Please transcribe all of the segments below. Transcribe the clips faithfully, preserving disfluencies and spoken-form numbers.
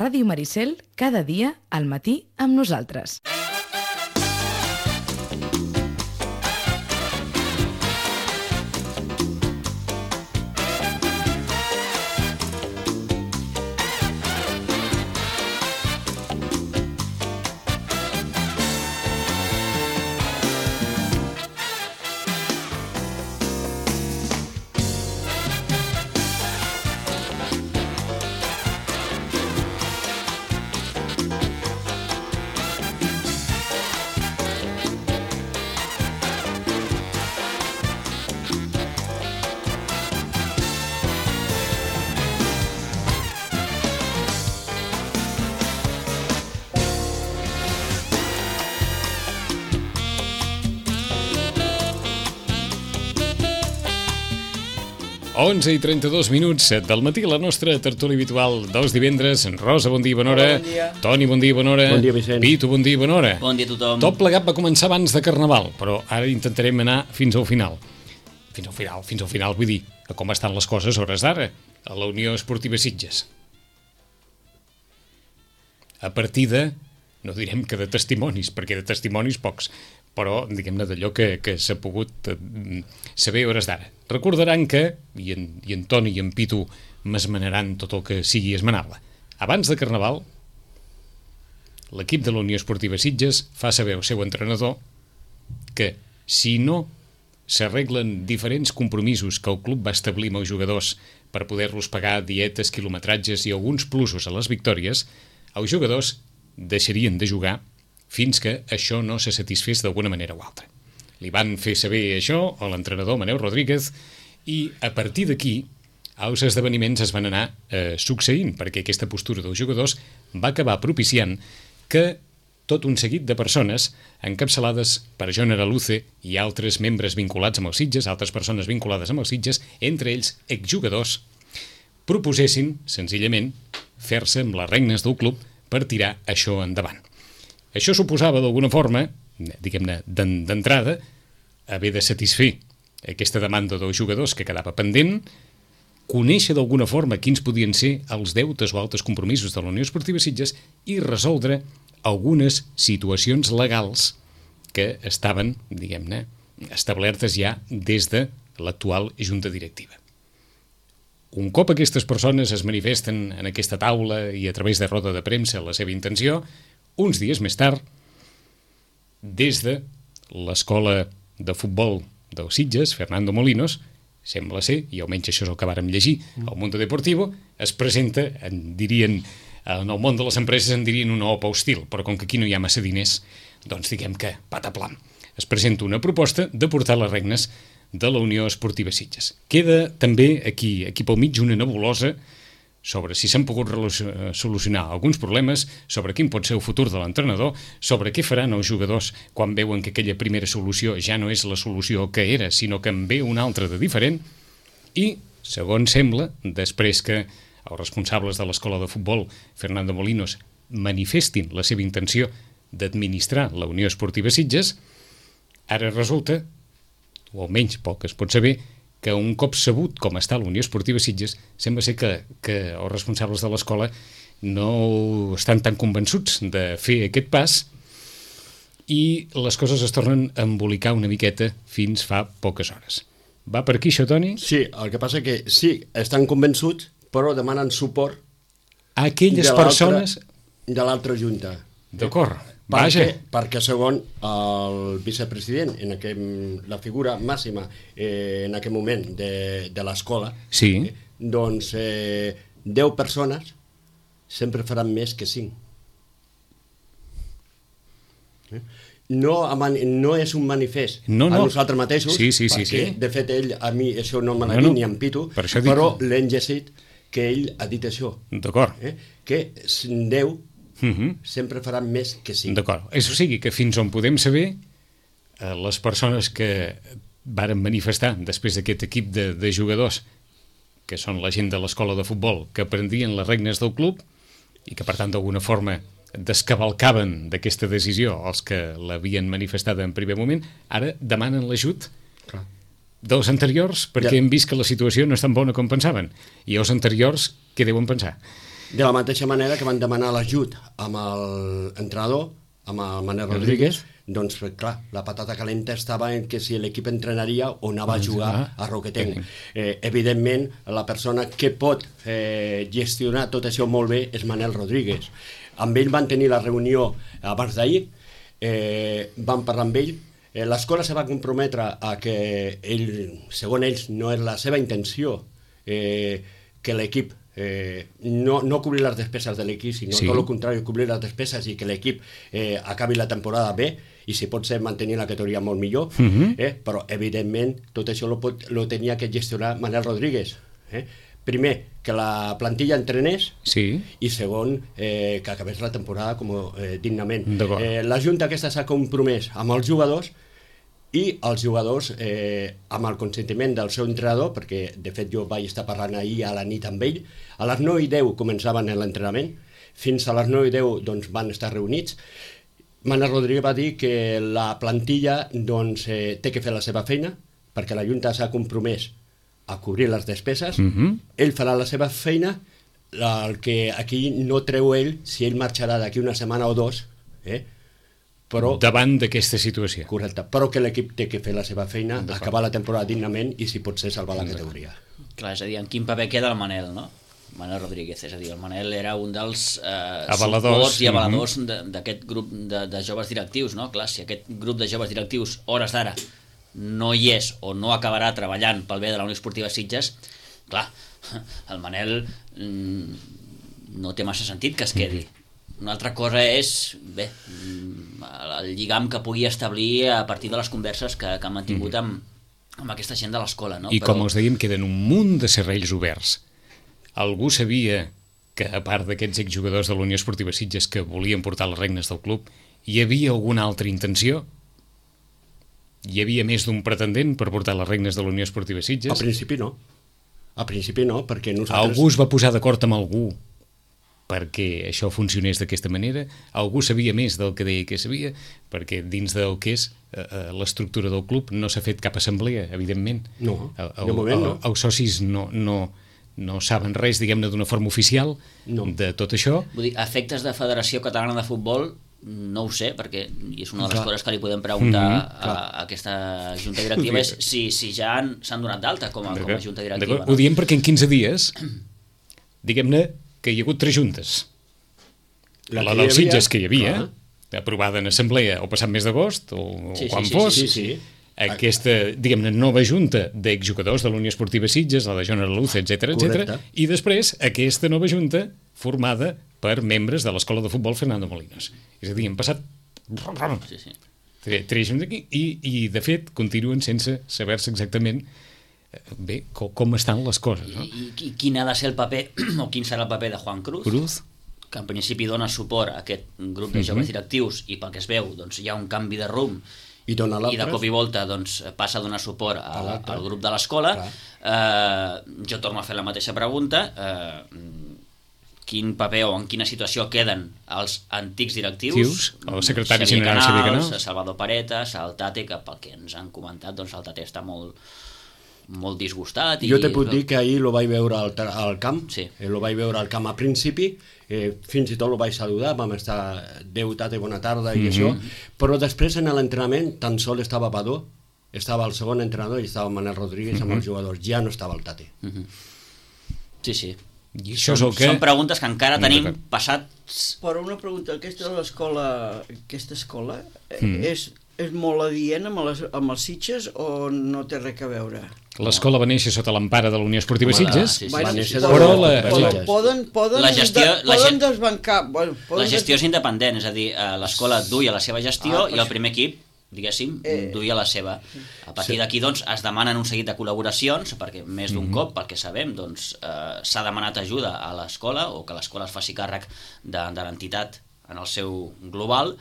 Ràdio Maricel, cada dia al matí amb nosaltres. onze i trenta-dos minuts del matí, la nostra tertúlia habitual dels divendres. Rosa, bon dia i bona hora. Bon dia. Toni, bon dia i bona hora. Bon dia, Vicent. Pitu, bon dia i bona hora. Bon dia a tothom. Tot plegat va començar abans de Carnaval, però ara intentarem anar fins al final. Fins al final, fins al final, vull dir, a com estan les coses a hores d'ara, a la Unió Esportiva Sitges. A partir de, no direm que de testimonis, perquè de testimonis pocs, però diguem-ne d'allò que, que s'ha pogut eh, saber a hores d'ara. Recordaran que, i en, i en Toni i en Pitu m'esmenaran tot el que sigui esmenable, abans de Carnaval, l'equip de la Unió Esportiva Sitges fa saber al seu entrenador que si no s'arreglen diferents compromisos que el club va establir amb els jugadors per poder-los pagar dietes, quilometratges i alguns plusos a les victòries, els jugadors deixarien de jugar fins que això no se satisfés d'alguna manera o altra. Li van fer saber això a l'entrenador Manel Rodríguez i a partir d'aquí els esdeveniments es van anar eh, succeint, perquè aquesta postura dels jugadors va acabar propiciant que tot un seguit de persones encapçalades per Joan Araluce i altres membres vinculats amb els Sitges, altres persones vinculades amb els Sitges, entre ells exjugadors, proposessin, senzillament, fer-se amb les regnes del club per tirar això endavant. Això suposava, d'alguna forma, diguem-ne, d'entrada, haver de satisfer aquesta demanda dels jugadors que quedava pendent, conèixer d'alguna forma quins podien ser els deutes o altres compromisos de la Unió Esportiva Sitges i resoldre algunes situacions legals que estaven, diguem-ne, establertes ja des de l'actual junta directiva. Un cop aquestes persones es manifesten en aquesta taula i a través de roda de premsa la seva intenció, uns dies més tard, des de l'escola de futbol dels Sitges, Fernando Molinos, sembla ser, i almenys això és el que vàrem llegir al Mundo Deportivo, es presenta, en dirien, en el món de les empreses en dirien una opa hostil, però com que aquí no hi ha massa diners, doncs diguem que pataplam. Es presenta una proposta de portar les regnes de la Unió Esportiva Sitges. Queda també aquí, aquí pel mig una nebulosa sobre si s'han pogut solucionar alguns problemes, sobre quin pot ser el futur de l'entrenador, sobre què faran els jugadors quan veuen que aquella primera solució ja no és la solució que era, sinó que en ve una altra de diferent, i, segons sembla, després que els responsables de l'escola de futbol, Fernando Molinos, manifestin la seva intenció d'administrar la Unió Esportiva Sitges, ara resulta, o almenys pel que es pot saber, que un cop sabut com està la Unió Esportiva Sitges, sembla ser que, que els responsables de l'escola no estan tan convençuts de fer aquest pas i les coses es tornen a embolicar una miqueta fins fa poques hores. Va per aquí això, Toni? Sí, el que passa que sí, estan convençuts, però demanen suport a aquelles de persones... De l'altra junta. D'acord. Perquè, perquè segon el vicepresident, en aquest, la figura màxima eh, en aquest moment de, de l'escola, sí. eh, doncs eh, deu persones sempre faran més que cinc. Eh? No, no és un manifest no, no. a nosaltres mateixos, sí, sí, sí, perquè sí. de fet ell, a mi això no me l'ha no, dit no. ni en Pitu, per però dic... l'hem llegit que ell ha dit això. D'acord. Eh? Que deu Uh-huh. sempre faran més que cinc. D'acord. Això sigui que fins on podem saber, eh, les persones que varen manifestar després d'aquest equip de, de jugadors, que són la gent de l'escola de futbol, que prendrien les regnes del club i que, per tant, d'alguna forma descavalcaven d'aquesta decisió els que l'havien manifestada en primer moment, ara demanen l'ajut Clar. dels anteriors perquè ja. hem vist que la situació no és tan bona com pensaven. I els anteriors, què deuen pensar? De la mateixa manera que van demanar l'ajut amb l'entrenador, amb el Manel Rodríguez, doncs, clar, la patata calenta estava en que si l'equip entrenaria o anava a jugar a Roquetenc. Eh, evidentment, la persona que pot eh, gestionar tot això molt bé és Manel Rodríguez. Amb ell van tenir la reunió abans d'ahir, eh, van parlar amb ell. Eh, l'escola se va comprometre a que ell, segons ells, no és la seva intenció eh, que l'equip Eh, no, no cobrir les despeses de l'equip, sinó sí. tot el contrari, cobrir les despeses i que l'equip eh, acabi la temporada bé i si pot ser mantenir la categoria molt millor, uh -huh. eh, però evidentment tot això lo, pot, lo tenia que gestionar Manel Rodríguez. Eh? Primer, que la plantilla entrenés sí. i segon, eh, que acabés la temporada com, eh, dignament. Eh, la Junta aquesta s'ha compromès amb els jugadors i els jugadors, eh, amb el consentiment del seu entrenador, perquè de fet jo vaig estar parlant ahir a la nit amb ell, a les nou i deu començaven l'entrenament, fins a les nou i deu doncs, van estar reunits. Manel Rodríguez va dir que la plantilla doncs, eh, té que fer la seva feina, perquè la Junta s'ha compromès a cobrir les despeses, uh-huh. ell farà la seva feina, el que aquí no treu ell, si ell marxarà d'aquí una setmana o dos, eh, però, davant d'aquesta situació. Correcte, però que l'equip té que fer la seva feina, acabar la temporada dignament i si pot ser salvar la categoria. Clar, és a dir, en quin paper queda el Manel, no? Manel Rodríguez, és a dir, el Manel era un dels eh, avaladors i avaladors uh-huh. d'aquest grup de, de joves directius, no? Clar, si aquest grup de joves directius, hores d'ara, no hi és o no acabarà treballant pel bé de la Unió Esportiva Sitges, clar, el Manel mm, no té massa sentit que es quedi. Uh-huh. Una altra cosa és, bé, el lligam que pugui establir a partir de les converses que, que han mantingut amb, amb aquesta gent de l'escola, no? I Però... com us dèiem, queden un munt de serrells oberts. Algú sabia que, a part d'aquests exjugadors de la Unió Esportiva Sitges que volien portar les regnes del club, hi havia alguna altra intenció? Hi havia més d'un pretendent per portar les regnes de la Unió Esportiva Sitges? A principi no. A principi no, perquè nosaltres... Algú es va posar d'acord amb algú perquè això funcionés d'aquesta manera? Algú sabia més del que deia que sabia? Perquè dins del que és eh, l'estructura del club no s'ha fet cap assemblea, evidentment. No, el, de moment no. Els socis no, no, no saben res, diguem-ne, d'una forma oficial no. de tot això. Vull dir, a efectes de Federació Catalana de Futbol, no ho sé, perquè és una de les Clar. coses que li podem preguntar mm-hmm, a, a aquesta junta directiva, és si, si ja s'han donat d'alta com, a, com a junta directiva. No? Ho diem perquè en quinze dies, diguem-ne, que hi ha hagut tres juntes. La, la dels Sitges que hi havia, clar. aprovada en assemblea o passat mes d'agost, o, sí, o quan sí, fos, sí, sí, sí. aquesta, diguem-ne, nova junta d'exjugadors de la Unió Esportiva Sitges, la de Joan Araluz, etcètera, etcètera, i després aquesta nova junta formada per membres de l'Escola de Futbol Fernando Molinos. És a dir, han passat sí, sí. tres, tres juntes aquí, i, i de fet continuen sense saber-se exactament bé, com, com estan les coses, no? I, i quin ha de ser el paper, o quin serà el paper de Juan Cruz, Cruz, que en principi dona suport a aquest grup de joves directius i pel que es veu doncs, hi ha un canvi de rumb i, i de cop i volta doncs, passa a donar suport a, al grup de l'escola. Eh, jo torno a fer la mateixa pregunta. Eh, quin paper o en quina situació queden els antics directius? Tius, el secretari general Xavier Canals, Salvador Paretas, el Tate, que pel que ens han comentat doncs, el Tate està molt molt disgustat. Jo te puc dir que ahir lo vaig veure al, al camp, sí. eh, lo vaig veure al camp a principi, eh, fins i tot lo vaig saludar, vam estar Déu, tate, bona tarda i mm-hmm. això, però després en l'entrenament tan sol estava Badó, estava el segon entrenador i estava Manel Rodríguez mm-hmm. amb els jugadors, ja no estava el Tate. Mm-hmm. Sí, sí. I això són, és el que... són preguntes que encara no tenim passats... Però una pregunta, aquesta escola, aquesta escola mm. és, és molt adient amb, les, amb els Sitges o no té res a veure? L'escola va néixer sota l'empara de la Unió Esportiva Sitges, sí, sí, va sí, néixer sí, de però la... la, Poden, la, poden, poden, la gestió, de, la poden ge... desbancar... Bueno, poden la gestió és independent, és a dir, l'escola duia la seva gestió ah, i el primer equip, diguéssim, eh... duia la seva. A partir sí. d'aquí, doncs, es demanen un seguit de col·laboracions, perquè més d'un mm-hmm. cop, pel que sabem, doncs, eh, s'ha demanat ajuda a l'escola, o que l'escola es faci càrrec de, de l'entitat en el seu global,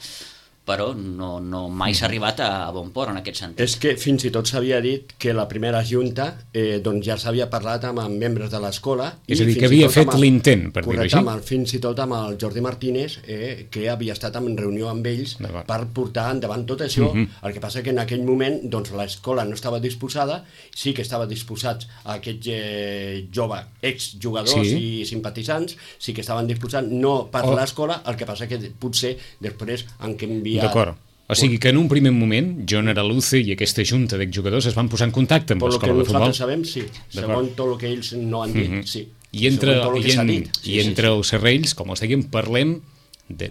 però no, no mai s'ha arribat a, a bon port en aquest sentit. És que fins i tot s'havia dit que la primera junta eh, doncs ja s'havia parlat amb, amb membres de l'escola. És a dir, que havia fet l'intent, per dir-ho així. Correcte, fins i tot amb el Jordi Martínez, eh, que havia estat en reunió amb ells per portar endavant tot això. Uh -huh. El que passa que en aquell moment doncs, l'escola no estava disposada, sí que estava disposats a aquests eh, joves exjugadors sí. i simpatitzants, sí que estaven disposats, no per oh. l'escola, el que passa que potser després han canviat. D'acord. O sigui que en un primer moment, John Araluce i aquesta junta d'exjugadors es van posar en contacte amb l'escola de futbol. Per lo que nosaltres sabem, sí. Segons tot el que ells no han dit, uh -huh. sí. I entre, i en, dit, sí, i entre sí, sí. els serrells, com els dèiem, parlem, de,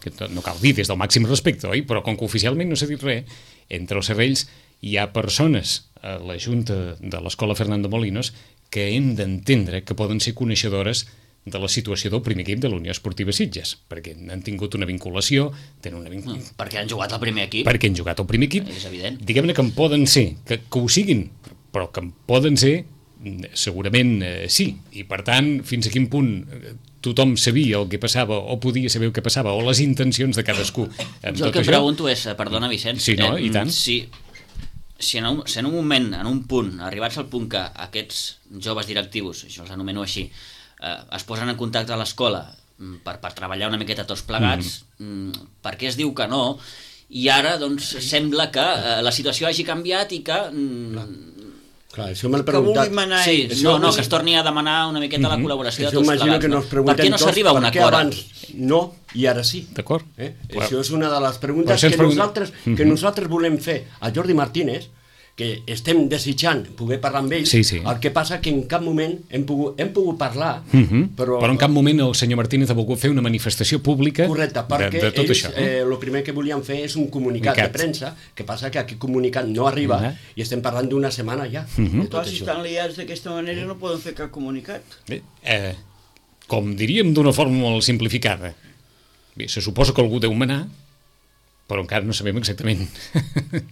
que no cal dir des del màxim respecte, oi? Però com que oficialment no s'ha dit res, entre els serrells hi ha persones a la junta de l'escola Fernando Molinos que hem d'entendre que poden ser coneixedores de la situació del primer equip de la Unió Esportiva Sitges, perquè han tingut una vinculació, tenen una vinculació... Mm, perquè han jugat al primer equip. Perquè han jugat al primer equip. És evident. Diguem-ne que en poden ser, que, que ho siguin, però que en poden ser, segurament eh, sí. I per tant, fins a quin punt tothom sabia el que passava, o podia saber el que passava, o les intencions de cadascú. Jo el que em pregunto és, perdona Vicenç, sí, no? I tant. Si, si, en un, si en un moment, en un punt, arribats al punt que aquests joves directius, això els anomeno així, eh, es posen en contacte a l'escola per, per treballar una miqueta tots plegats, mm. per què es diu que no? I ara, doncs, sembla que eh, la situació hagi canviat i que... Mm, clar, això m'he preguntat. Que manar sí, no, no, que es torni a demanar una miqueta mm -hmm. la col·laboració de tots plegats. Que no? Per què no s'arriba a un acord? Abans no, i ara sí. D'acord. Eh? Això és una de les preguntes que, pregun... nosaltres, que nosaltres volem fer a Jordi Martínez, que estem desitjant poder parlar amb ell, sí, sí. El que passa que en cap moment hem pogut, hem pogut parlar, uh -huh. però... però en cap moment el senyor Martínez ha volgut fer una manifestació pública. Correcte, perquè de, de tot ells això. Eh, el primer que volien fer és un comunicat Micat. de premsa, que passa que aquest comunicat no arriba, uh -huh. i estem parlant d'una setmana ja. Uh -huh. de tot Clar, si això. estan liats d'aquesta manera no poden fer cap comunicat. Bé, eh, com diríem d'una forma molt simplificada, bé, se suposa que algú deu manar, però encara no sabem exactament,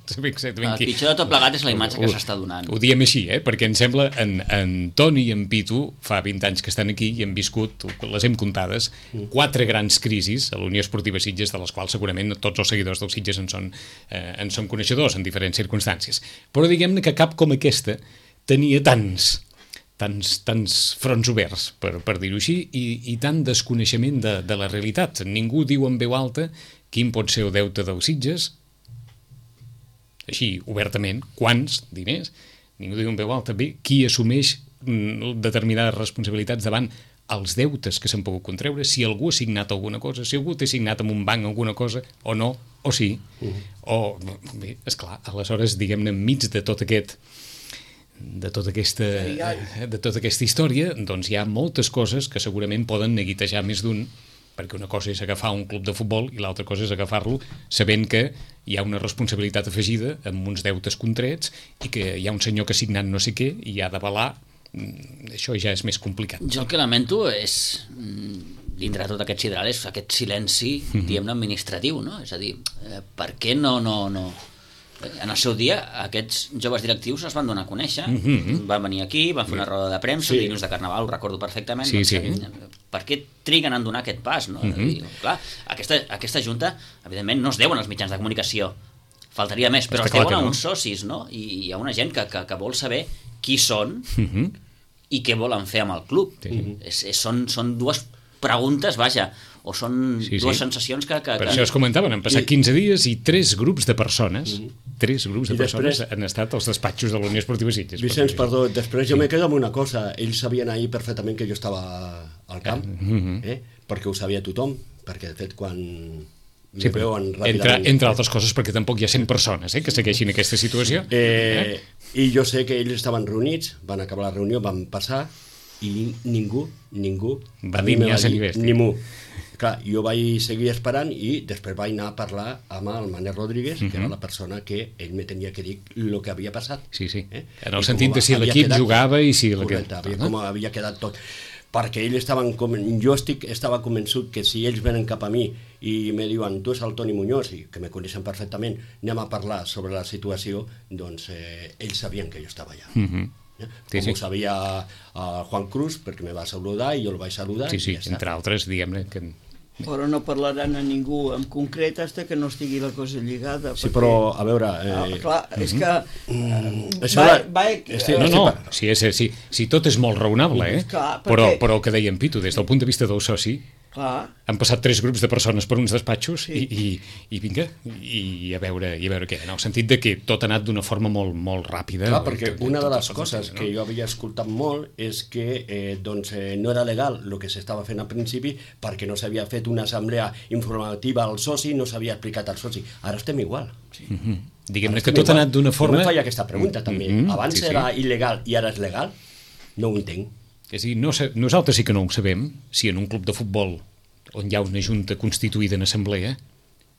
sabem exactament el qui. pitjor de tot plegat és la imatge que s'està donant. Ho diem així, eh? Perquè em sembla en, en Toni i en Pitu fa vint anys que estan aquí i han viscut, les hem comptades, quatre grans crisis a la Unió Esportiva Sitges, de les quals segurament tots els seguidors dels Sitges en són, eh, en són coneixedors en diferents circumstàncies. Però diguem-ne que cap com aquesta tenia tants tants, tants fronts oberts, per, per dir-ho així, i, i tant desconeixement de, de la realitat. Ningú diu en veu alta quin pot ser el deute dels Sitges, així, obertament, quants diners, ningú diu en veu alta, bé, qui assumeix mm, determinades responsabilitats davant els deutes que s'han pogut contreure, si algú ha signat alguna cosa, si algú té signat amb un banc alguna cosa, o no, o sí, uh-huh. o, bé, esclar, aleshores, diguem-ne, enmig de tot aquest de tota aquesta, de tota aquesta història, doncs hi ha moltes coses que segurament poden neguitejar més d'un, perquè una cosa és agafar un club de futbol i l'altra cosa és agafar-lo sabent que hi ha una responsabilitat afegida amb uns deutes contrets i que hi ha un senyor que ha signat no sé què i ha d'avalar, això ja és més complicat. Jo el que lamento és, dintre de tot aquest sidral, és aquest silenci, mm-hmm. diguem-ne, administratiu, no? És a dir, eh, per què no... no, no... En el seu dia, aquests joves directius es van donar a conèixer, mm-hmm. van venir aquí, van fer una roda de premsa, sí. dilluns de Carnaval, ho recordo perfectament. Sí, doncs, sí. Per què triguen a donar aquest pas? No? Mm-hmm. Dir, clar, aquesta, aquesta junta, evidentment, no es deuen als mitjans de comunicació, faltaria més, però Està es deuen a uns no. socis, no? I hi ha una gent que, que, que vol saber qui són mm-hmm. i què volen fer amb el club. Sí. És, és, són, són dues preguntes, vaja, o són sí, dues sí. sensacions que... que per que... això es comentaven, han passat quinze dies i tres grups de persones, mm. tres grups de I persones després, han estat als despatxos de la Unió Esportiva Sitges. Vicenç, perdó, després jo sí. m'he quedat amb una cosa, ells sabien ahir perfectament que jo estava al camp, mm-hmm. eh? perquè ho sabia tothom, perquè de fet quan... Sí, entre, entre altres coses perquè tampoc hi ha cent persones eh, que segueixin aquesta situació. Eh, eh? I jo sé que ells estaven reunits, van acabar la reunió, van passar i ningú, ningú va dir ni a ser ni mu. Clar, jo vaig seguir esperant i després vaig anar a parlar amb el Manel Rodríguez, uh-huh. que era la persona que ell me tenia que dir el que havia passat. Sí, sí. Eh? En el I sentit de si l'equip jugava i si... Correcte, havia, com havia quedat tot. Perquè ells estaven com... Jo estic, estava convençut que si ells venen cap a mi i me diuen, tu és el Toni Muñoz, i que me coneixen perfectament, anem a parlar sobre la situació, doncs eh, ells sabien que jo estava allà. Uh-huh. Eh? Sí, com sí. ho sabia uh, Juan Cruz, perquè me va saludar i jo el vaig saludar. Sí, sí, entre altres, diguem-ne, que... Però no parlaran a ningú en concret fins que no estigui la cosa lligada. Sí, però, a veure... Eh... Ah, clar, és que... Mm, va, va, va, estic, No, estic, no, sí, sí, sí, sí, tot és molt raonable, eh? Clar, perquè- però, però el que dèiem, Pitu, des del punt de vista del soci, clar, han passat tres grups de persones per uns despatxos Sí. i, i, i vinga, i a veure, i a veure què, en el sentit de que tot ha anat d'una forma molt, molt ràpida. Clar, perquè Tot- una de tot- les tot- coses no? que jo havia escoltat molt és que eh, doncs, eh, no era legal el que s'estava fent al principi perquè no s'havia fet una assemblea informativa al soci, no s'havia explicat al soci. Ara estem igual. Sí. Mhm. Diguem-ne Ara que estem tot ha igual. anat d'una forma... Jo em feia aquesta pregunta també. Mhm, Abans sí, sí. era il·legal i ara és legal? No ho entenc. És a dir, no, sa- nosaltres sí que no ho sabem, si en un club de futbol on hi ha una junta constituïda en assemblea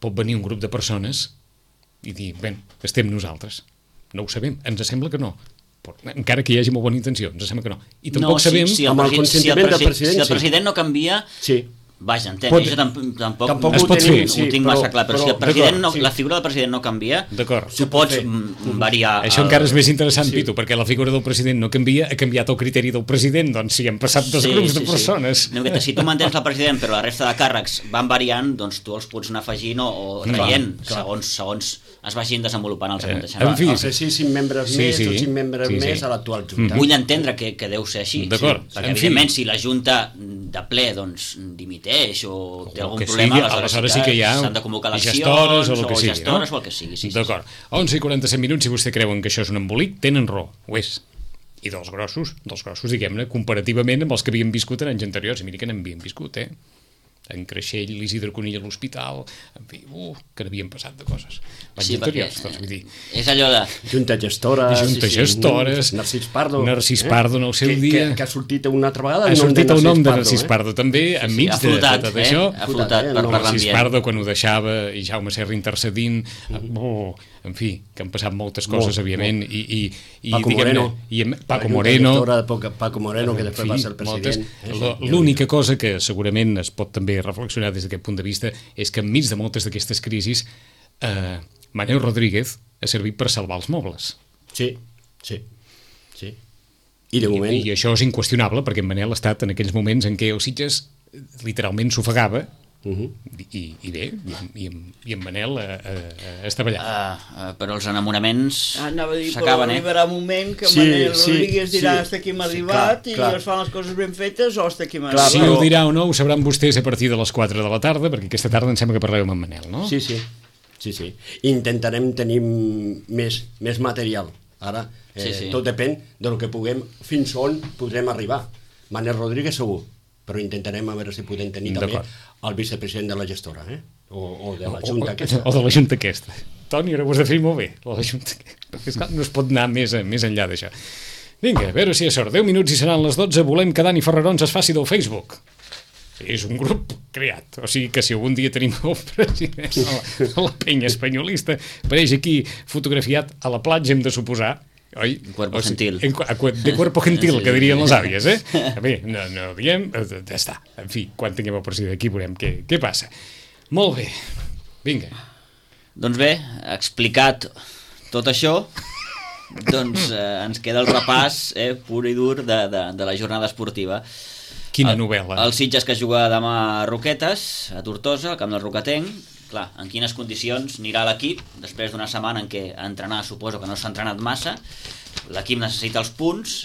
pot venir un grup de persones i dir, bé, estem nosaltres. No ho sabem, ens sembla que no. Però, encara que hi hagi molt bona intenció, ens sembla que no. I tampoc no, sabem... si, si, el amb el presi- si, el consentiment del presi- president, si el sí. president no canvia, Sí. vaja, entenc, Pot- jo tampoc, tampoc, Tampoc Es ho pot tenim, fer, sí, ho tinc però, massa clar, però, si el però- president d'acord, no, sí. la figura del president no canvia, D'acord. tu pots fer. mm, variar... Això el- encara és més interessant, Sí. Pitu, perquè la figura del president no canvia, ha canviat el criteri del president, doncs si han passat dos grups de persones. No, que si tu mantens el president però la resta de càrrecs van variant, doncs tu els pots anar afegint o, o traient clar. segons, segons es vagin desenvolupant els Eh, aconteixements. en fi, Els de sis membres Sí, més sí. o cinc membres Sí, sí. més a l'actual junta. Vull entendre que, que deu ser així, D'acord, sí, perquè en fi. evidentment si la Junta de ple doncs, dimiteix o té O algun que problema, sigui, aleshores sí que hi ha s'han de convocar eleccions gestores o el que sigui, gestores no? o el que sigui. Sí, sí, D'acord. onze i quaranta-set minuts, si vostè creuen que això és un embolic, tenen raó, ho és. I dels grossos, dels grossos, diguem-ne, comparativament amb els que havien viscut en anys anteriors, i mira que n'havien viscut, eh? En Creixell, l'Isidre Conill a l'hospital, en fi, uh, que n'havien passat de coses. Anys Sí, perquè anteriors, doncs, vull dir, és allò de... Junta gestora... Junta sí, sí, gestores, Narcís Pardo. Narcís Pardo en el seu que, dia. Que, que ha sortit una altra vegada ha sortit el nom de Narcís eh? Pardo, també, enmig ha de, flotat, de tot eh? això. Ha flotat eh? per, No, per Narcís l'ambient. Pardo quan ho deixava i Jaume Serra intercedint, oh, en fi, que han passat moltes coses, Molt, òbviament, i, i, i Paco diguem-ne, Moreno. i en- Paco La junta Moreno, gestora de Paco- Paco Moreno, que després en va fi, ser el moltes- president. Eh? lo- L'única cosa que segurament es pot també reflexionar des d'aquest punt de vista és que enmig de moltes d'aquestes crisis eh, Manel Rodríguez ha servit per salvar els mobles. Sí, sí, sí. I de moment... I, I això és inqüestionable, perquè en Manel ha estat en aquells moments en què el Sitges literalment s'ofegava, Uh -huh. i, i bé, i, en- i, en- i en Manel eh, eh, estava allà. Uh, uh, però els enamoraments Ah, anava a dir, però s'acaben, eh? arribarà un moment que Sí, Manel sí, Rodríguez dirà sí. hasta aquí hem Sí, arribat clar, i clar. es fan les coses ben fetes o hasta aquí hem Clar, Si arribat. ho dirà o no, ho sabran vostès a partir de les quatre de la tarda, perquè aquesta tarda em sembla que parleu amb en Manel, no? Sí, sí, sí, sí. Intentarem tenir més, més material. Ara, eh, Sí, sí. tot depèn del que puguem, fins on podrem arribar. Manel Rodríguez segur, però intentarem a veure si podem tenir també D'acord. el vicepresident de la gestora, eh? o, o de la O- junta o, aquesta. o de la Junta aquesta. Toni, ara ho has de fer molt bé, la de Junta. Perquè, esclar, no es pot anar més, més enllà d'això. Vinga, a veure si és sort. deu minuts i seran les dotze. Volem que Dani Ferrarons es faci del Facebook. És un grup creat. O sigui que si algun dia tenim el president a la, a la penya espanyolista, apareix aquí fotografiat a la platja, hem de suposar, oi? Cuerpo O sigui, gentil. en, a, de cuerpo gentil, Sí, que sí, dirien sí. les àvies, eh? A bé, no, no diem, eh, ja està. En fi, quan tinguem el president aquí veurem què, què passa. Molt bé, vinga. Doncs bé, explicat tot això, doncs eh, ens queda el repàs eh, pur i dur de, de, de la jornada esportiva. Quina el, novel·la. El Sitges que juga demà a Roquetes, a Tortosa, al camp del Roquetenc. Clar, en quines condicions anirà l'equip després d'una setmana en què entrenar suposo que no s'ha entrenat massa. L'equip necessita els punts,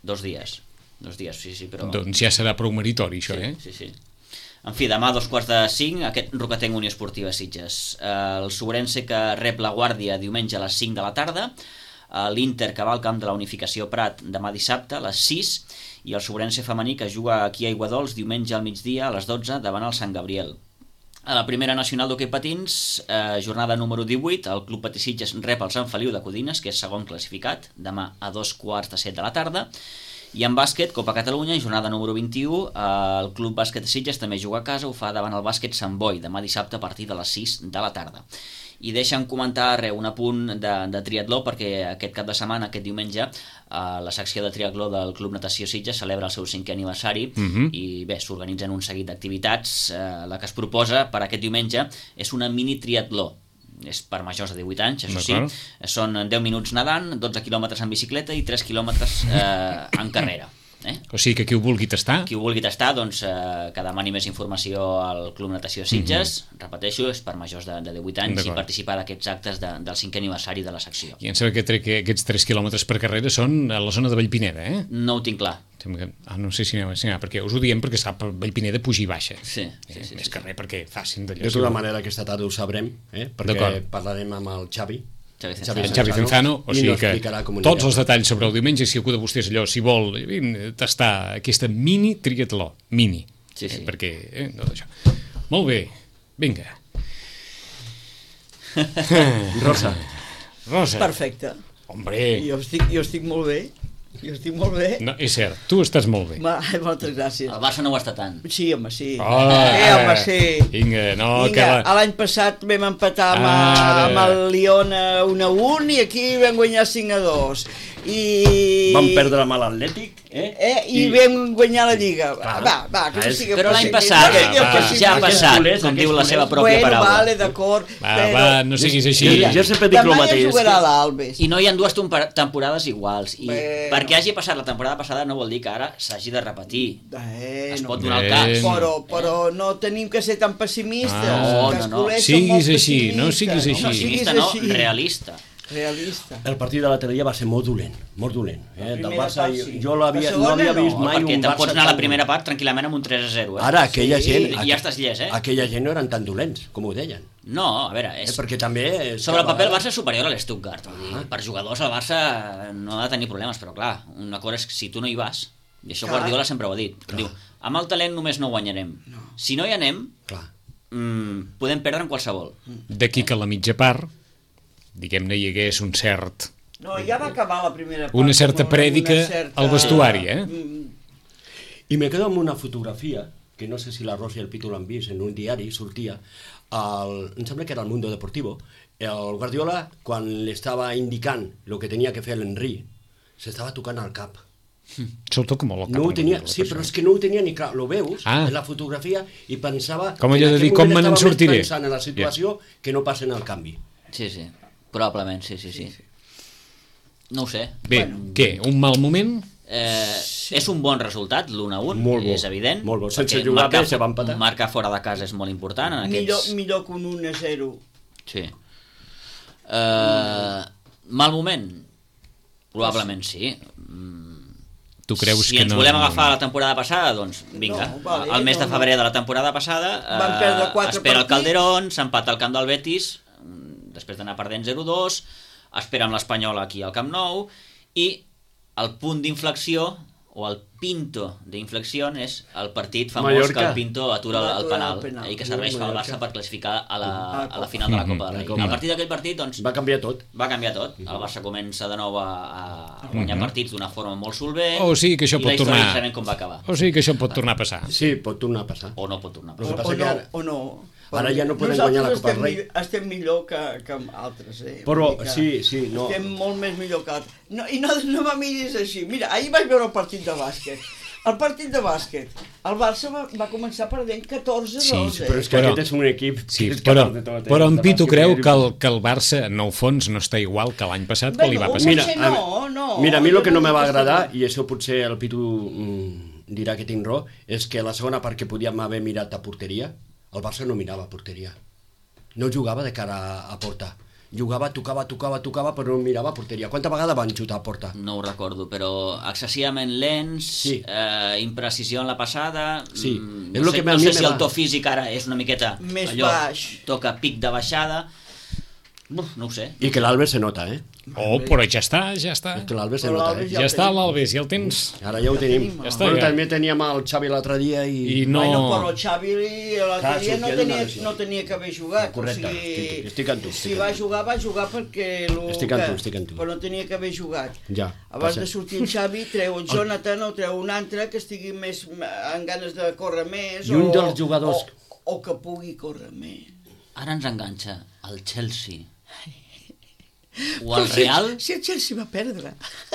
dos dies. Dos dies, sí, sí, però... Doncs ja serà prou meritori, això, sí, eh? Sí, sí. En fi, demà a dos quarts de cinc, aquest Roquetenc Unió Esportiva Sitges. Eh, el Sobrense que rep la Guàrdia diumenge a les cinc de la tarda, eh, l'Inter que va al camp de la Unificació Prat demà dissabte a les sis, i el Sobrense femení que juga aquí a Aiguadols diumenge al migdia a les dotze davant el Sant Gabriel. A la primera nacional d'hoquei patins, eh, jornada número divuit, el Club Patí Sitges rep el Sant Feliu de Codines, que és segon classificat, demà a dos quarts de set de la tarda. I en bàsquet, Copa Catalunya, jornada número vint-i-u, eh, el Club Bàsquet Sitges també juga a casa, ho fa davant el Bàsquet Sant Boi, demà dissabte a partir de les sis de la tarda. I deixa'm comentar re, un apunt de, de triatló, perquè aquest cap de setmana, aquest diumenge, eh, la secció de triatló del Club Natació Sitges celebra el seu cinquè aniversari, Mhm. i bé, s'organitzen un seguit d'activitats. Eh, la que es proposa per aquest diumenge és una mini triatló. És per majors de divuit anys, això sí. D'acord. Són deu minuts nedant, dotze quilòmetres en bicicleta i tres quilòmetres eh, en carrera. Eh? O sigui que qui ho vulgui tastar... Qui ho vulgui tastar, doncs, eh, que demani més informació al Club Natació Sitges. Mm-hmm. Repeteixo, és per majors de, de divuit anys i participar d'aquests actes de, del cinquè aniversari de la secció. I em sembla que, tre- que aquests tres quilòmetres per carrera són a la zona de Vallpineda, eh? No ho tinc clar. Ah, no sé si anava, si anava, perquè us ho diem perquè està per Vallpineda puja i baixa. Sí, sí, eh, sí, més sí, que sí. res perquè facin d'allò. De tota manera, aquesta tarda ho sabrem, eh? perquè D'acord. parlarem amb el Xavi. Xavi Xavi Cenzano. En Xavi Cenzano, o sigui que tots els detalls sobre el diumenge, si algú de vostès allò, si vol eh, tastar aquesta mini triatló, mini, Sí, sí. eh, perquè eh, no, això. Molt bé, vinga. Rosa. Rosa. Perfecte. Hombre, Jo estic, jo estic molt bé. Jo estic molt bé. no, és cert, tu estàs molt bé. Ma, moltes gràcies. El Barça no ho està tant. Sí, home, sí. Oh, eh, home, sí. Vinga, no, Vinga, que la... l'any passat vam empatar amb, Ara. amb el Lyon un a un i aquí vam guanyar cinc a dos. I... Vam perdre amb l'Atlètic, eh? Eh, i, I vam guanyar la Lliga. Clar. Va, va, que Ah, no és- sigui Però l'any possible. passat Va, No, va, no, ja ha no, passat, culers, com diu la aquests seva culers. pròpia Bueno, paraula. vale, d'acord. Va, però... va, no siguis així. Jo, jo sempre dic el Demà mateix. ja jugarà que- l'Albes. I no hi ha dues temper- temporades iguals. I Bueno. perquè hagi passat la temporada passada no vol dir que ara s'hagi de repetir. Eh, Es no. pot donar el Bueno. cas. Però, però no tenim que ser tan pessimistes. Ah. No, que els no, no. culers Siguis són molt així, no pessimistes. siguis així. No Optimista siguis no, així. realista. Realista. El partit de l'altre dia va ser molt dolent, molt dolent. Eh? Del primera Barça, part, jo, sí. jo l'havia, La no segona, havia no. vist mai Perquè un te'n Barça pots anar a la tan primera dolent. part tranquil·lament amb un tres a zero. Eh? Ara, aquella Sí. gent... I ja estàs llest, eh? Aquella gent no eren tan dolents, com ho deien. No, a veure, Eh? és... Perquè també... és Sobre el que a paper el vegades- Barça és superior a l'Stuttgart. Vull dir, per jugadors el Barça no ha de tenir problemes, però clar, una cosa és que si tu no hi vas, i això Clar. Guardiola sempre ho ha dit, diu, amb el talent només no guanyarem. Si no hi anem, Clar. mm, podem perdre en qualsevol. D'aquí que a la mitja part, diguem-ne, hi hagués un cert... No, ja va acabar la primera part. Una certa amb prèdica una certa- al vestuari, eh? Mm, I me quedo amb una fotografia, que no sé si la Rosa i el Pitu l'han vist, en un diari sortia, el, em sembla que era el Mundo Deportivo, el Guardiola, quan li estava indicant el que tenia que fer l'Henry, s'estava tocant al cap. Se'l toca molt al cap. No ho a tenia, la sí, persona. però és que no ho tenia ni clar. Lo veus Ah. en la fotografia i pensava... Com que allò en de aquell dir, com moment me n'en estava més sortiré. pensant en la situació que no passen el canvi. Sí, sí, probablement, sí, sí, sí. No ho sé. Bé, què, un mal moment? Eh, és un bon resultat, l'un a un, Molt bo, és evident. molt bo. Sense perquè jugar marcar- bé, se va empatar. Marcar fora de casa és molt important en millor, aquests... millor que un un a zero. Sí. Uh, mal moment? Probablement sí. Mm, Tu creus si que ens no... volem agafar la temporada passada, doncs vinga. No, vale, el mes de no, febrer no. de la temporada passada Van perdre quatre espera el partits. Calderón, s'empata al camp del Betis, mm, després d'anar perdent zero dos, espera amb l'Espanyol aquí al Camp Nou, i el punt d'inflexió, o el pinto d'inflexió, és el partit famós Mallorca. que el Pinto atura el, el Atura penal, el penal. eh, i que serveix pel Mallorca. Barça per classificar a la, Ah, a la final de la Copa del la Rei. Copa. A partir d'aquell partit, doncs, Va canviar tot. va canviar tot. El Barça comença de nou a, a guanyar partits d'una forma molt solvent. O sigui que això i pot la història tornar- ja sabem com va acabar. O sigui que això pot tornar a passar. Sí, pot tornar a passar. O no pot tornar a Lo O, que passar. passa o que no, ara- o no. Ara ja no podem Nosaltres guanyar la Copa estem del Rei. mi- Estem millor que, que amb altres, eh? Però, Vull dir que sí, sí, no. Estem molt més millor que altres. No, I no, no me miris així. Mira, ahir vaig veure el partit de bàsquet. El partit de bàsquet. El Barça va, va començar perdent catorze a dos, Sí, eh? Però és que Però- aquest és un equip... Sí, que és però, capaç de tot, eh? però en De Pitu bàsquet creu i- que el, que el Barça, en el fons, no està igual que l'any passat que li va Bueno, passar. Mira, potser a, no, no. mira, a mi el que no me va Jo agradar, i això potser el Pitu mm, dirà que tinc raó, és que la segona part que podíem haver mirat a porteria, el Barça no mirava a porteria. No jugava de cara a, a porta. Jugava, tocava, tocava, tocava, però no mirava a porteria. Quanta vegada van xutar a porta? No ho recordo, però excessivament lents, Sí. eh, imprecisió en la passada... Sí, mm, és no lo sé, que a no mi sé me si va. el to físic ara és una miqueta... Més allò, baix. Toca pic de baixada... Uf, no ho sé. I que l'Albes se nota, eh? Oh, però ja està, ja està. És que l'Albes se Però nota, l'Albes eh? Ja està l'Albes, ja el tens. Ara ja ho tenim. tenim, Ja està, Bueno, ja. també teníem el Xavi l'altre dia i... I no... Bueno, però el Xavi l'altre Clar, dia no sortia d'una tenia, lesió. no tenia que haver jugat. Correcte, o sigui, estic- estic amb tu, estic si amb va tu. jugar, va jugar perquè... Lo Estic amb que, tu, estic amb tu. Però no tenia que haver jugat. Ja, Abans passa. de sortir el Xavi, treu el Jonathan o treu un altre que estigui més amb ganes de córrer més. I un o, dels jugadors- O, o que pugui córrer més. Ara ens enganxa el Chelsea. O el Real... Si, si el Chelsea va perdre,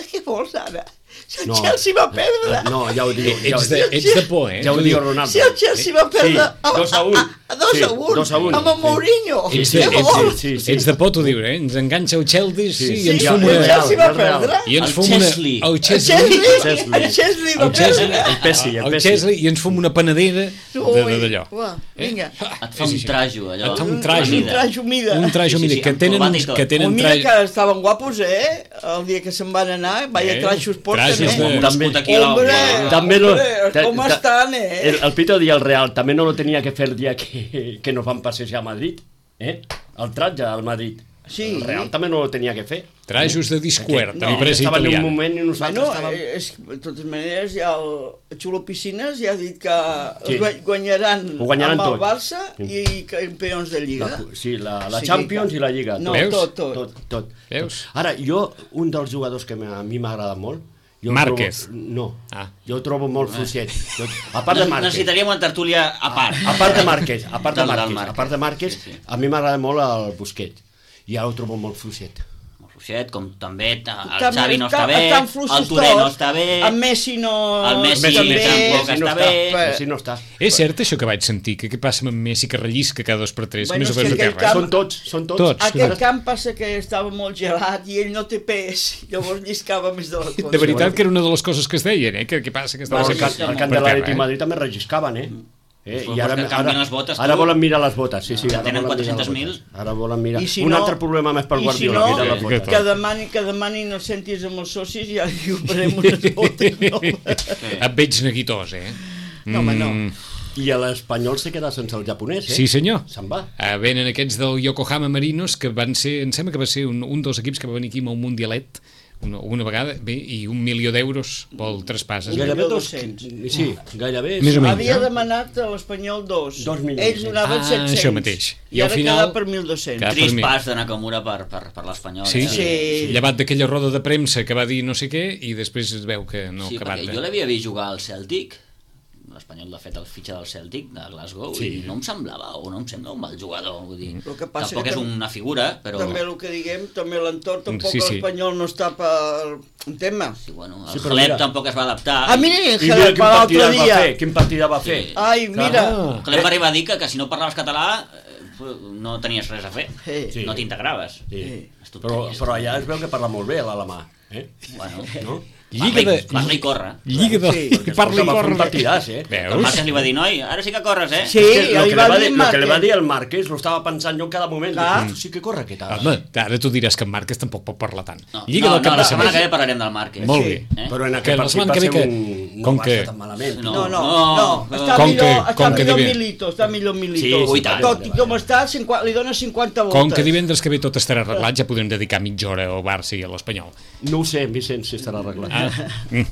què vols ara? Si el Chelsea va perdre... No, ja ho diu. Ja, Ets de, ets de por, eh? ja ho diu Ronaldo. Si el Chelsea va perdre... Sí, dos a un. dos Sí, a un. dos a un. Amb el Mourinho. Ets de, Què ets, vols? sí, sí. ets de por, t'ho diu, eh? Ens enganxa el Chelsea sí, Sí, i ens Sí, fum el una... Chelsea va Real, Real. perdre. I ens El fum una... Chesley. El El Chesley. Chelsea, el Chelsea va El Chelsea. perdre. El Pessi, el El Pessi. Chesley i ens fum una panadera de- de- d'allò. Ua, vinga. Et fa un trajo, allò. Et fa un Un trajo. trajo mida. Un trajo, Sí, sí, mira, sí, que amb tenen, corbata i uns, tot. que Oh, tenen mira trajo... que estaven guapos, eh? El dia que se'n van anar, vaya Eh, trajos porten, trajos eh? de- També. Aquí a la- Hombre, També lo- hombre, ta- com ta- estan, eh? El, el Pito dia el Real també no lo tenia que fer el dia que, que nos van passejar a Madrid, eh? El tratge al Madrid. Sí. El Real també no lo tenia que fer. Trajos de discuert, No, en empresa estava en un italiana. moment i nosaltres Bueno, estàvem... eh, és, de totes maneres, ja el Xulo Piscines ja ha dit que Sí. sí. guanyaran, Ho guanyaran amb el tot. Barça i campions de Lliga. La, sí, la, la Sí, Champions que- i la Lliga. No, Veus? tot, tot. Tot, tot. Veus? Ara, jo, un dels jugadors que a mi m'agrada molt... Jo el Márquez. Trobo, no, Ah. jo el trobo molt fluixet. Jo, a part de Márquez. Necessitaríem una tertúlia a part. A part de Márquez, a part de Del- del Márquez, Márquez. a part de Márquez, Sí, sí. a mi m'agrada molt el Busquets. I ara ho trobo molt fluixet. Molt fluixet, com també el També Xavi no està bé, estan fluixos el Touré no tots. està bé, El Messi no... el Messi també. tampoc Messi no està bé. Messi no està. És cert això que vaig sentir? Que què passa amb Messi que rellisca cada dos per tres? Bueno, Més o és menys que de aquell terra. camp- Són tots, són tots. Tots. Aquest camp passa que estava molt gelat i ell no té pes, llavors lliscava més de la compte. De veritat que era una de les coses que es deien, eh? Que què passa? Que No, estava el, can, el can de l'Atlètic Madrid també relliscaven, eh? Eh, Pues I ara, que canvien ara, les botes, ara tu. volen mirar les botes, sí, sí. Que Ara tenen volen mirar les quatre-cents mil. botes. Ara volen mirar. I si Un no- altre problema més per I si Guardiola, no, mirar les que- botes. que demanin, que demanin els cèntims amb els socis i ja li operem unes botes noves. Et veig neguitós, eh? No, home, no. Mm, I l'Espanyol se queda sense el japonès, eh? Sí, senyor. Se'n va. Uh, venen aquests del Yokohama Marinos, que van ser, em sembla que va ser un, un dels equips que va venir aquí amb un mundialet, una, una vegada, bé, i un milió d'euros pel traspàs. Es veu. Gairebé dos... dos-cents. Sí, gairebé... Més o menys. Havia no? demanat a l'Espanyol dos. Dos milions. Ells donaven Ah, set-cents. això mateix. I, ara queda per mil dos-cents. Cada- Trist per mi. pas de Nakamura per, per, per l'Espanyol. Sí, eh? Sí. llevat d'aquella roda de premsa que va dir no sé què i després es veu que no sí, ha acabat. perquè de- jo l'havia vist jugar al Celtic, l'Espanyol de fet el fitxa del Celtic de Glasgow, Sí. i no em semblava, o no em sembla un mal jugador, vull dir, El que passa tampoc que és tam- una figura, però... També el que diguem, també l'entorn, tampoc Sí, sí. l'Espanyol no està per un tema. Sí, bueno, el Sí, sí, però Halep mira. tampoc es va adaptar. A mi, I Jerez, mira quin per l'altre partida va dia. fer, quin partida va fer. Sí. Ai, mira. Ah. Halep va arribar a dir que, que si no parlaves català eh, no tenies res a fer, Sí. Sí. no t'integraves. Sí. És Però, tonteries. però allà es veu que parla molt bé l'alemà, eh? Bueno, No? Lliga parla, de... i, parla i corre. Lliga de... Sí. I parla i Va fer un corre. partidàs, eh? El Veus? Marques li va dir, noi, ara sí que corres, eh? Sí, És que ja lo li que, va li va dir dir, lo que li va Márquez. dir el Márquez lo estava pensant jo cada moment. Clar. Dic, sí que corre aquest ara. Home, ara tu diràs que en Márquez tampoc pot parlar tant. No, Lliga no, del cap no, de la setmana que setmana. ve parlarem del Marquez. Molt Sí. bé. Eh? Però en Que aquest la partit setmana va que ser ve que- un... com no va que- ser tan malament. No. No, no, No, no, està com millor, que- està com que millor divi- Milito, està millor Milito. Sí, sí, tant. Tot i com està, cinquanta, li dona cinquanta voltes. Com que divendres que ve tot estarà arreglat, ja podrem dedicar mitja hora al Barça i a l'Espanyol. No ho sé, Vicent, si estarà arreglat. Ah.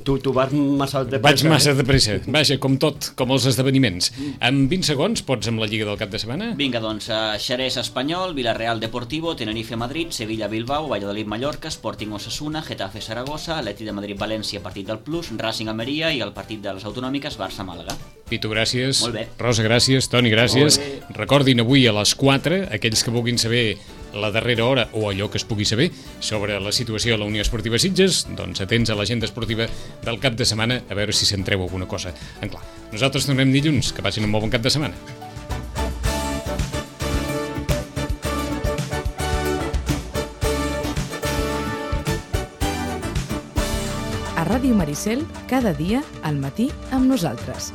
Tu, tu vas massa de Vaig pressa, massa eh? de pressa. Vaja, com tot, com els esdeveniments. En vint segons pots amb la Lliga del cap de setmana? Vinga, doncs, uh, Xerès Espanyol, Villarreal Deportivo, Tenerife Madrid, Sevilla Bilbao, Valladolid Mallorca, Sporting Osasuna, Getafe Saragossa, Atleti de Madrid València, partit del Plus, Racing Almeria i el partit de les autonòmiques Barça Màlaga. Pitu, gràcies. Molt bé. Rosa, gràcies. Toni, gràcies. Recordin avui a les quatre, aquells que vulguin saber la darrera hora o allò que es pugui saber sobre la situació a la Unió Esportiva Sitges, doncs atents a l'agenda esportiva del cap de setmana a veure si se'n treu alguna cosa en clar. Nosaltres tornem dilluns. Que passin un molt bon cap de setmana. A Ràdio Maricel, cada dia al matí amb nosaltres.